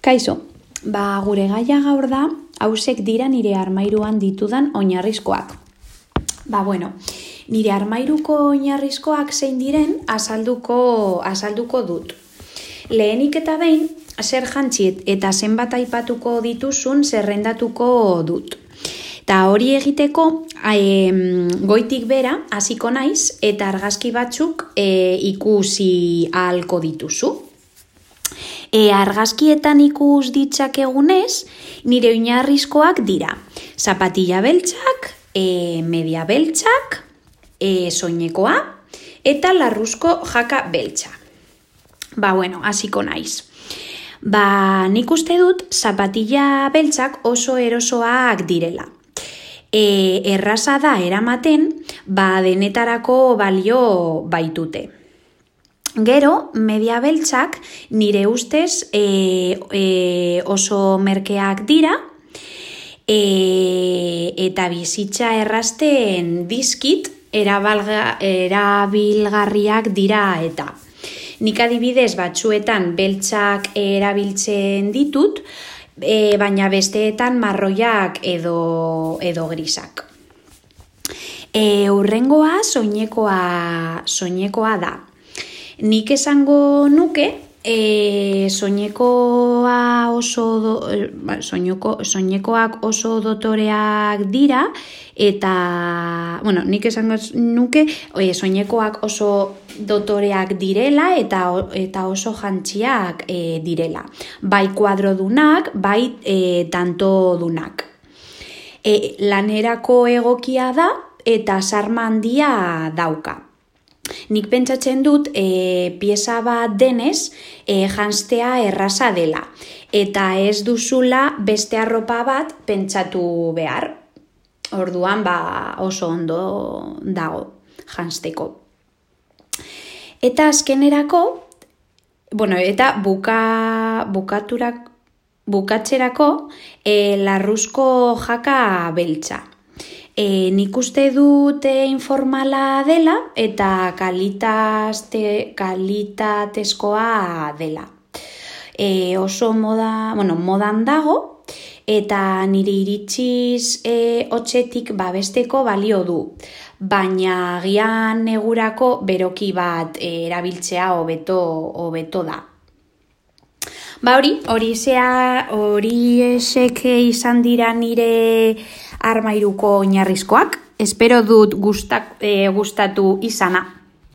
Kaixo, gure gaia gaur da, hausek dira nire armairuan ditudan oinarrizkoak. Nire armairuko oinarrizkoak zein diren azalduko dut. Lehenik eta behin, zer jantziet eta zenbat aipatuko dituzun zerrendatuko dut. Eta hori egiteko, goitik bera hasiko naiz eta argazki batzuk ikusi ahalko dituzu. Argazkietan ikus ditzakegunez, nire oinarrizkoak dira. Zapatilla beltzak, media beltzak, soinekoa eta larruzko jaka beltza. Hasiko naiz. Nik uste dut zapatilla beltzak oso erosoak direla. Erraza da eramaten, denetarako balio baitute. Gero, media beltzak nire ustez oso merkeak dira eta bizitza errazten dizkit erabilgarriak dira eta. Nik adibidez batzuetan beltzak erabiltzen ditut, baina besteetan marroiak edo grisak. Hurrengoa soinekoa da. Nik esango nuke soinekoak oso dotoreak dira eta, nik esango nuke soinekoak oso dotoreak direla eta oso jantziak direla. Bai kuadrodunak, bai tantodunak. Lanerako egokia da eta sarma handia dauka. Nik pentsatzen dut pieza bat denez janztea erraza dela eta ez duzula beste arropa bat pentsatu behar. Orduan oso ondo dago janzteko. Eta azkenerako, eta bukatzerako larruzko jaka beltza. Nik uste dut informala dela eta kalitatezkoa dela. Oso modan dago eta nire iritziz hotzetik babesteko balio du. Baina agian negurako beroki bat erabiltzea hobeto da. Horiexek izan dira nire armairuko oinarrizkoak. Espero dut gustatu izana.